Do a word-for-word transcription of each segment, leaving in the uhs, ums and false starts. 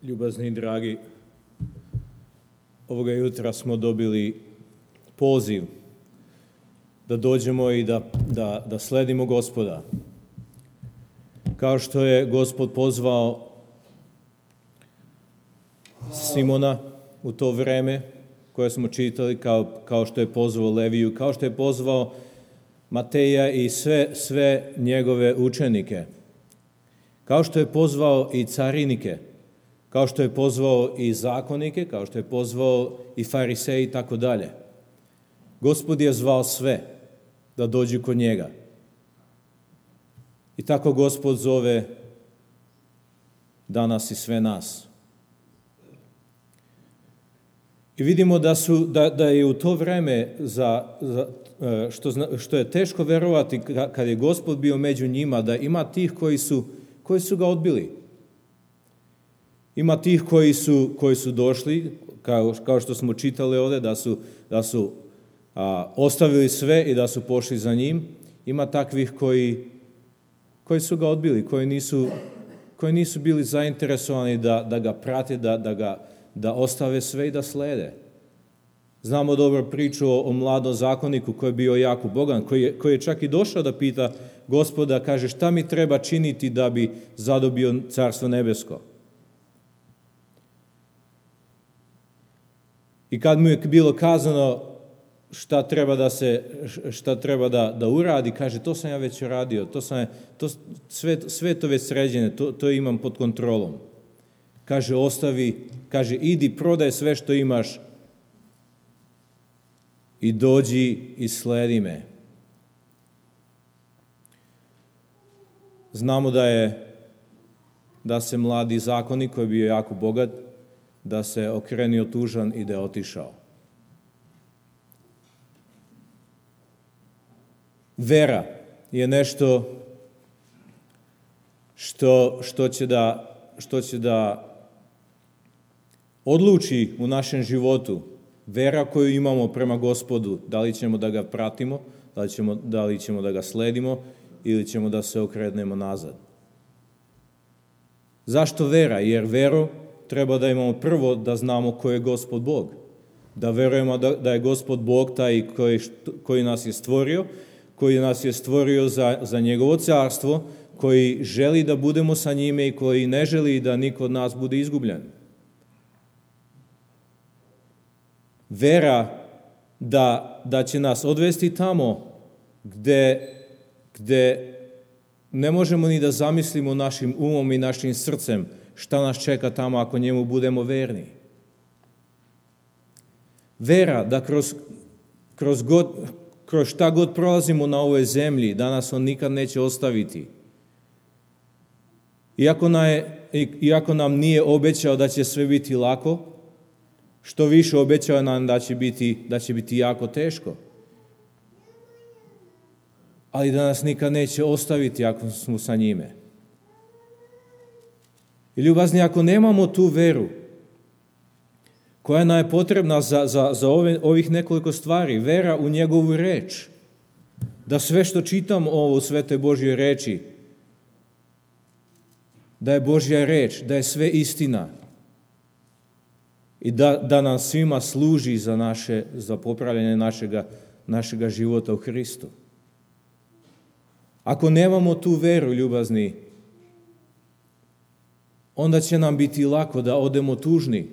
Ljubazni i dragi, ovoga jutra smo dobili poziv da dođemo i da, da, da sledimo Gospoda. Kao što je Gospod pozvao Simona u to vreme koje smo čitali, kao, kao što je pozvao Leviju, kao što je pozvao Mateja i sve, sve njegove učenike, kao što je pozvao i carinike, kao što je pozvao i zakonike, kao što je pozvao i fariseji i tako dalje. Gospod je zvao sve da dođu kod njega. I tako Gospod zove danas i sve nas. I vidimo da, su, da, da je u to vreme, za, za, što, što je teško verovati kad je Gospod bio među njima, da ima tih koji su, koji su ga odbili. Ima tih koji su, koji su došli, kao, kao što smo čitali ovde, da su, da su a, ostavili sve i da su pošli za njim. Ima takvih koji, koji su ga odbili, koji nisu, koji nisu bili zainteresovani da, da ga prate, da, da, ga, da ostave sve i da slede. Znamo dobro priču o, o mladom zakoniku koji je bio jako bogan, koji je, koji je čak i došao da pita Gospoda, kaže, šta mi treba činiti da bi zadobio Carstvo nebesko? I kad mu je bilo kazano šta treba da se šta treba da da uradi, kaže, to sam ja već uradio, to sam to sve sve to već sređeno, to to imam pod kontrolom. Kaže, ostavi, kaže, idi prodaj sve što imaš i dođi i sledi me. Znamo da je da se mladi zakonik koji je bio jako bogat, da se okrenio tužan i da je otišao. Vera je nešto što, što, će da, što će da odluči u našem životu. Vera koju imamo prema Gospodu, da li ćemo da ga pratimo, da li ćemo, da li ćemo da ga sledimo ili ćemo da se okrenemo nazad. Zašto vera? Jer veru treba da imamo prvo da znamo ko je Gospod Bog. Da verujemo da, da je Gospod Bog taj koji, koji nas je stvorio, koji nas je stvorio za, za njegovo carstvo, koji želi da budemo sa njime i koji ne želi da niko od nas bude izgubljen. Vera da, da će nas odvesti tamo gde, gde ne možemo ni da zamislimo našim umom i našim srcem šta nas čeka tamo ako njemu budemo verni. Vera da kroz, kroz, god, kroz šta god prolazimo na ovoj zemlji, da nas on nikad neće ostaviti. Iako, na je, iako nam nije obećao da će sve biti lako, što više obećao nam da će biti, da će biti jako teško. Ali da nas nikad neće ostaviti ako smo sa njime. I ljubazni, ako nemamo tu veru koja nam je potrebna za, za, za ove, ovih nekoliko stvari, vera u njegovu reč, da sve što čitam ovo u Svetoj Božjoj reči, da je Božja reč, da je sve istina i da, da nam svima služi za, naše, za popravljanje našega, našega života u Hristu. Ako nemamo tu veru, ljubazni, onda će nam biti lako da odemo tužni,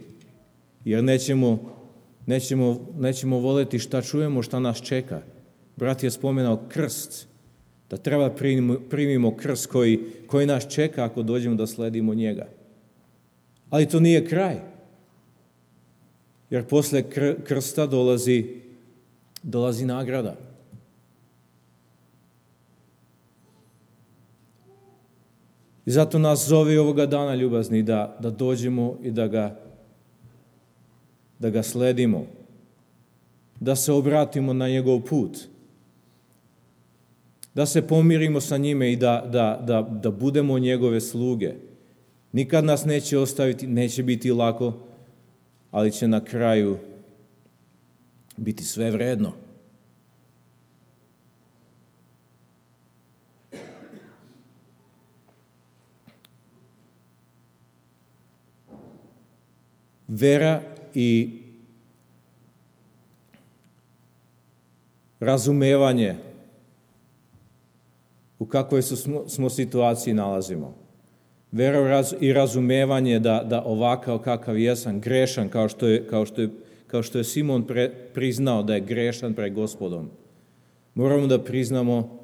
jer nećemo, nećemo, nećemo voleti šta čujemo, šta nas čeka. Brat je spomenao krst, da treba primimo, primimo krst koji, koji nas čeka ako dođemo da sledimo njega. Ali to nije kraj, jer posle kr, krsta dolazi, dolazi nagrada. I zato nas zove ovoga dana, ljubazni, da, da dođemo i da ga, da ga sledimo, da se obratimo na njegov put, da se pomirimo sa njime i da, da, da, da budemo njegove sluge. Nikad nas neće ostaviti, neće biti lako, ali će na kraju biti sve vredno. vera i razumevanje u kakvoj smo, smo situaciji nalazimo. Vera i razumevanje da, da ovakav kakav jesam, grešan, kao što je, kao što je, kao što je Simon pre, priznao da je grešan pred Gospodom. Moramo da priznamo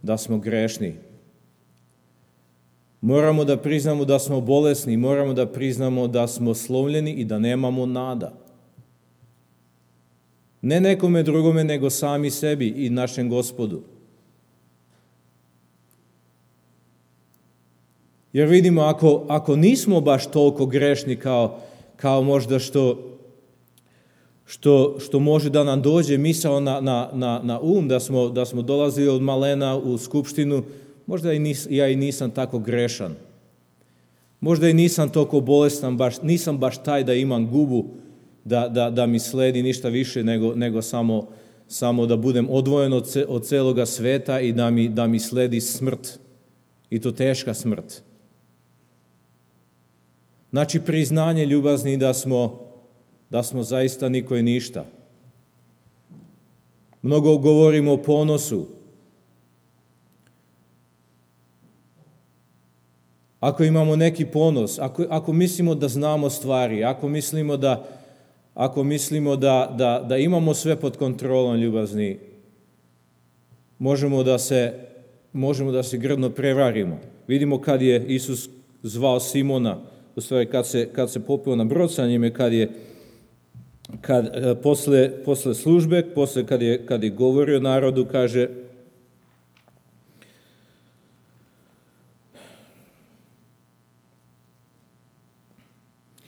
da smo grešni. Moramo da priznamo da smo bolesni, moramo da priznamo da smo slomljeni i da nemamo nada. Ne nekome drugome, nego sami sebi i našem Gospodu. Jer vidimo, ako, ako nismo baš toliko grešni kao, kao možda što, što, što može da nam dođe misao na, na, na, na um, da smo, da smo dolazili od malena u skupštinu, možda i nis, ja i nisam tako grešan. Možda i nisam toliko bolestan, baš, nisam baš taj da imam gubu, da, da, da mi sledi ništa više nego, nego samo, samo da budem odvojen od, ce, od celoga sveta i da mi, da mi sledi smrt. I to teška smrt. Znači, priznanje ljubazni da smo, da smo zaista niko i ništa. Mnogo govorimo o ponosu. Ako imamo neki ponos, ako, ako mislimo da znamo stvari, ako mislimo da, ako mislimo da, da, da imamo sve pod kontrolom ljubazni, možemo da se, možemo da se grdno prevarimo. Vidimo kad je Isus zvao Simona, u stvari kad se, kad se popeo na brod sa njime, kad je kad, posle, posle službe, posle kad je, kad je govorio narodu, kaže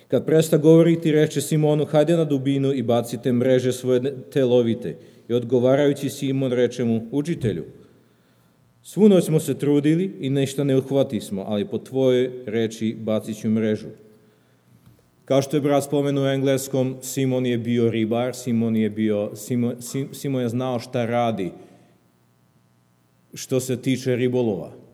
kad presta govoriti, reče Simonu, hajde na dubinu i bacite mreže svoje te lovite. I odgovarajući Simon reče mu, učitelju, svu noć smo se trudili i ništa ne uhvati smo, ali po tvojoj reči bacit ću mrežu. Kao što je brat spomenuo u engleskom, Simon je bio ribar, Simon je, bio, Simon, Simon je znao šta radi što se tiče ribolova.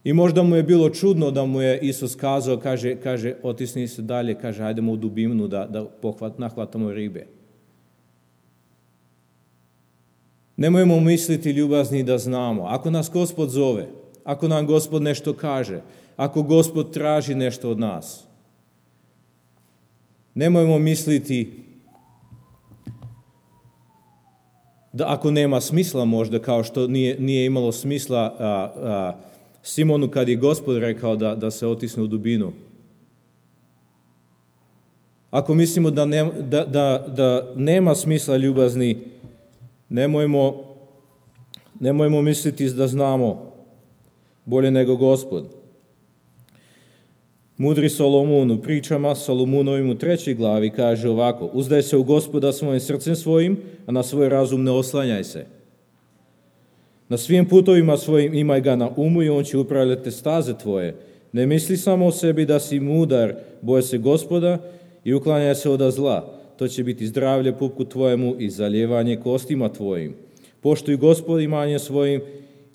I možda mu je bilo čudno da mu je Isus kazao, kaže, kaže otisni se dalje, kaže, hajdemo u dubinu da, da pohvat, nahvatamo ribe. Nemojmo misliti ljubazni da znamo. Ako nas Gospod zove, ako nam Gospod nešto kaže, ako Gospod traži nešto od nas, nemojmo misliti da ako nema smisla možda, kao što nije, nije imalo smisla a, a, Simonu kad je Gospod rekao da, da se otisne u dubinu. Ako mislimo da, ne, da, da, da nema smisla ljubazni, nemojmo, nemojmo misliti da znamo bolje nego Gospod. Mudri Solomon u pričama Solomonovim u trećoj glavi kaže ovako, uzdaj se u Gospoda svojim srcem svojim, a na svoj razum ne oslanjaj se. Na svim putovima svojim imaj ga na umu i on će upravljati staze tvoje. Ne misli samo o sebi da si mudar, boj se Gospoda i uklanjaj se od zla. To će biti zdravlje pupku tvojemu i zaljevanje kostima tvojim. Poštuj Gospod imanjem svojim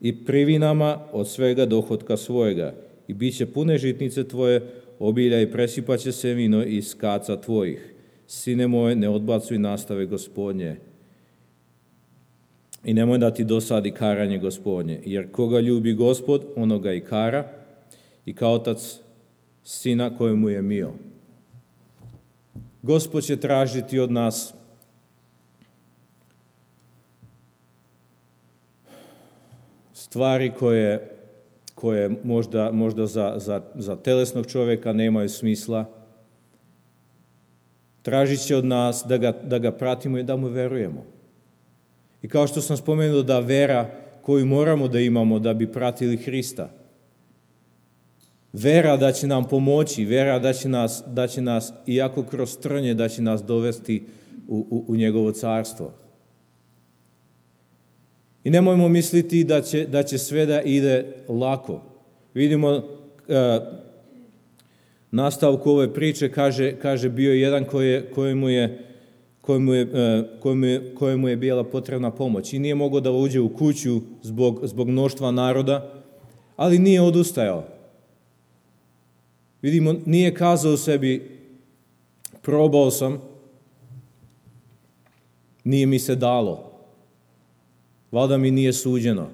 i privinama od svega dohotka svojega. I bit će pune žitnice tvoje, obilja i presipaće se vino iz kaca tvojih. Sine moje, ne odbacuj nastave Gospodnje. I nemoj da ti dosadi karanje Gospodnje, jer koga ljubi Gospod, onoga i kara, i kao otac sina kojemu je mio. Gospod će tražiti od nas stvari koje, koje možda, možda za, za, za telesnog čovjeka nemaju smisla. Tražit će od nas da ga, da ga pratimo i da mu verujemo. I kao što sam spomenuo da vera koju moramo da imamo da bi pratili Hrista. Vera da će nam pomoći, vera da će nas, da će nas iako kroz trnje, da će nas dovesti u, u, u njegovo carstvo. I nemojmo misliti da će, da će sve da ide lako. Vidimo uh, nastavku ove priče, kaže, kaže bio je jedan koje, kojemu je Kojemu je, kojemu, je, kojemu je bila potrebna pomoć i nije mogao da uđe u kuću zbog, zbog mnoštva naroda, ali nije odustajao. Vidimo, nije kazao sebi, probao sam, nije mi se dalo. Valjda mi nije suđeno.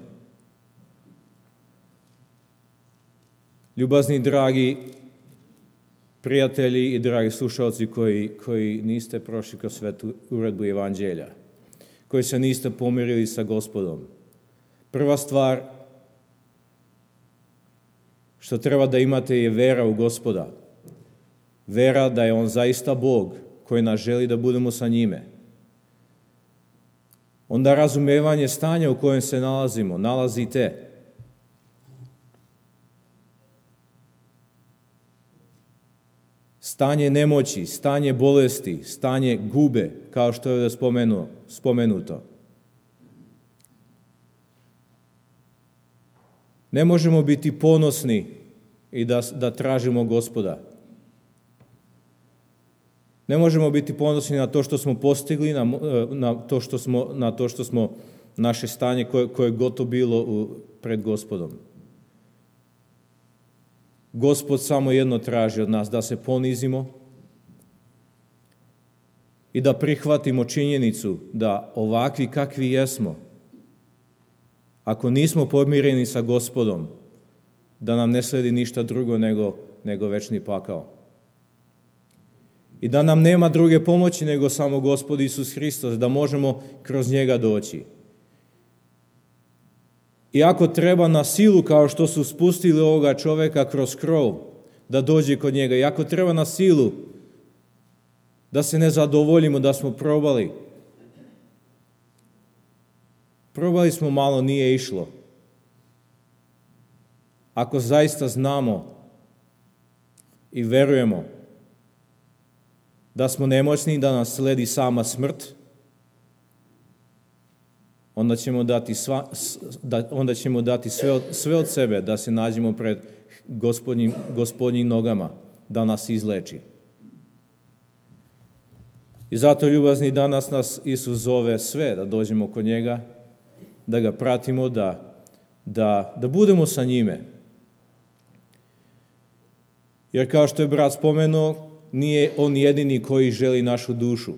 Ljubazni, dragi prijatelji i dragi slušalci koji, koji niste prošli kroz svetu uredbu evanđelja, koji se niste pomirili sa Gospodom. Prva stvar što treba da imate je vera u Gospoda. Vera da je On zaista Bog koji nas želi da budemo sa njime. Onda razumevanje stanja u kojem se nalazimo, nalazite. Stanje nemoći, stanje bolesti, stanje gube, kao što je spomenuo, spomenuto. Ne možemo biti ponosni i da, da tražimo Gospoda. Ne možemo biti ponosni na to što smo postigli, na, na, to, što smo, na to što smo naše stanje koje, koje je gotovo bilo u, pred Gospodom. Gospod samo jedno traži od nas, da se ponizimo i da prihvatimo činjenicu da ovakvi kakvi jesmo, ako nismo pomireni sa Gospodom, da nam ne sledi ništa drugo nego, nego večni pakao. I da nam nema druge pomoći nego samo Gospod Isus Hristos, da možemo kroz njega doći. I ako treba na silu, kao što su spustili ovoga čoveka kroz krov, da dođe kod njega, i ako treba na silu, da se ne zadovoljimo, da smo probali. Probali smo malo, nije išlo. Ako zaista znamo i verujemo da smo nemoćni, da nas sledi sama smrt, onda ćemo dati, sva, da, onda ćemo dati sve, od, sve od sebe da se nađemo pred gospodnjim, gospodnjim nogama, da nas izleči. I zato, ljubazni, danas nas Isus zove sve da dođemo kod njega, da ga pratimo, da, da, da budemo sa njime. Jer kao što je brat spomenuo, nije on jedini koji želi našu dušu.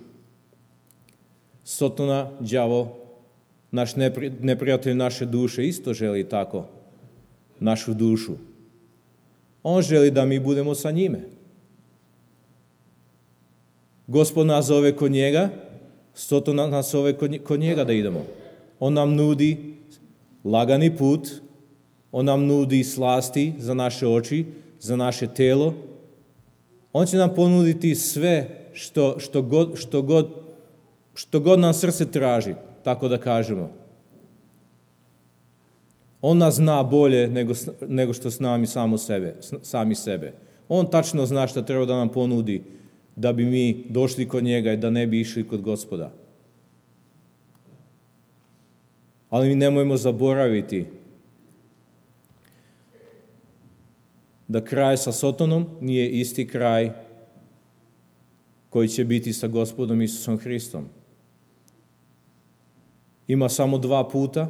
Sotona, đavo, naš neprijatelj naše duše isto želi tako našu dušu. On želi da mi budemo sa njime. Gospod nas zove kod njega, Sotona nas zove kod njega da idemo. On nam nudi lagani put, on nam nudi slasti za naše oči, za naše telo. On će nam ponuditi sve što, što, god, što, god, što god nam srce traži, tako da kažemo. On nas zna bolje nego, nego što znamo sami sebe, sami sebe. On tačno zna šta treba da nam ponudi da bi mi došli kod njega i da ne bi išli kod Gospoda. Ali mi nemojmo zaboraviti da kraj sa Sotonom nije isti kraj koji će biti sa Gospodom Isusom Hristom. Ima samo dva puta,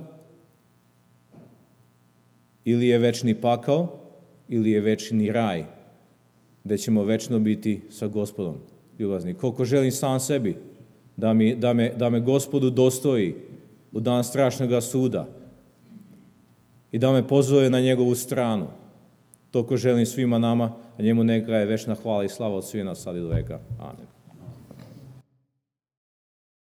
ili je večni pakao, ili je večni raj, gde ćemo večno biti sa Gospodom, ljubazni. Koliko želim sam sebi da, mi, da, me, da me Gospodu dostoji u dan strašnog suda i da me pozove na njegovu stranu. Toliko želim svima nama, a njemu neka je večna hvala i slava od svih nas sad i do veka. Amen.